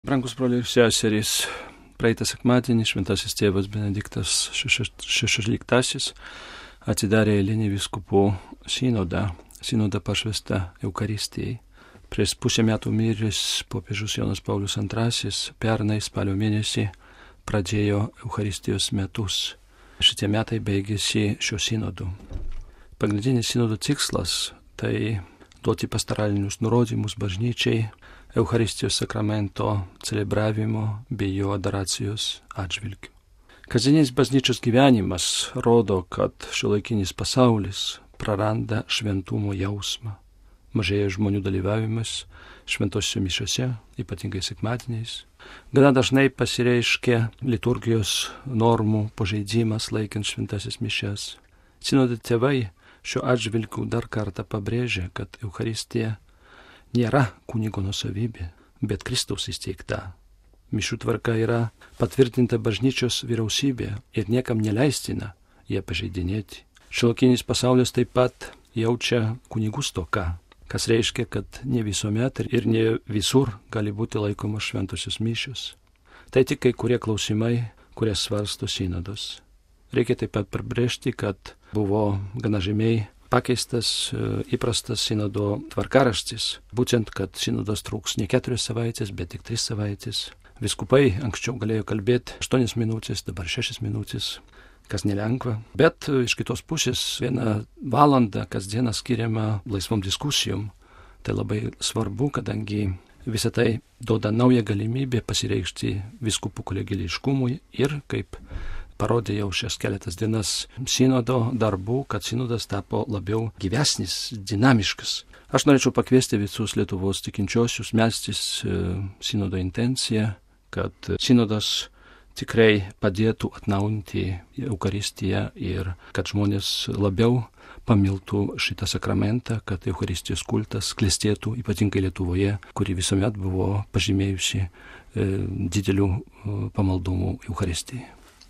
Brangus broliai ir seserys, praeitą sekmadienį šventasis tėvas Benediktas XVI atidarė eilinį vyskupų sinodą pašvestą Eucharistijai. Prieš pusę metų miręs popiežius Jonas Paulius II pernai spalio mėnesį pradėjo Eucharistijos metus. Šitie metai baigėsi šio sinodu. Pagrindinis sinodo tikslas tai duoti pastoralinius nurodymus bažnyčiai Eucharistijos sakramento celebravimo bei jo adoracijos atžvilgiu. Kasdienis bažnyčios gyvenimas rodo, kad šiuolaikinis pasaulis praranda šventumo jausmą. Mažėja žmonių dalyvavimas šventose mišiose, ypatingai sekmadieniais. Gana dažnai pasireiškia liturgijos normų pažeidimas laikant šventasis mišias. Sinodo tėvai šiuo atžvilgiu dar kartą pabrėžia, kad Eucharistija nėra kunigo nuosavybė, bet Kristaus įsteigta. Mišių tvarka yra patvirtinta bažnyčios vyriausybė ir niekam neleistina ją pažeidinėti. Šiuolaikinis pasaulis taip pat jaučia kunigų stoką, kas reiškia, kad ne visuomet ir ne visur gali būti laikomos šventosios mišios. Tai tik kai kurie klausimai, kurie svarsto sinodas. Reikia taip pat pabrėžti, kad buvo gana žymiai pakeistas įprastas sinodo tvarkaraštis, būtent, kad sinodas truks ne 4 savaitės, bet tik 3 savaitės. Viskupai anksčiau galėjo kalbėti 8 minutės, dabar 6 minutės, kas nelengva. Bet iš kitos pusės 1 valandą kasdieną skiriama laisvom diskusijom. Tai labai svarbu, kadangi visą tai duoda naują galimybę pasireikšti viskupų kolegiališkumui ir kaip parodė jau šias keletas dienas sinodo darbų, kad sinodas tapo labiau gyvesnis, dinamiškas. Aš norėčiau pakviesti visus Lietuvos tikinčiosius melstis sinodo intenciją, kad sinodas tikrai padėtų atnaujinti Eucharistiją ir kad žmonės labiau pamiltų šitą sakramentą, kad Eucharistijos kultas klestėtų ypatingai Lietuvoje, kuri visuomet buvo pažymėjusi didelių pamaldumų Eucharistijai.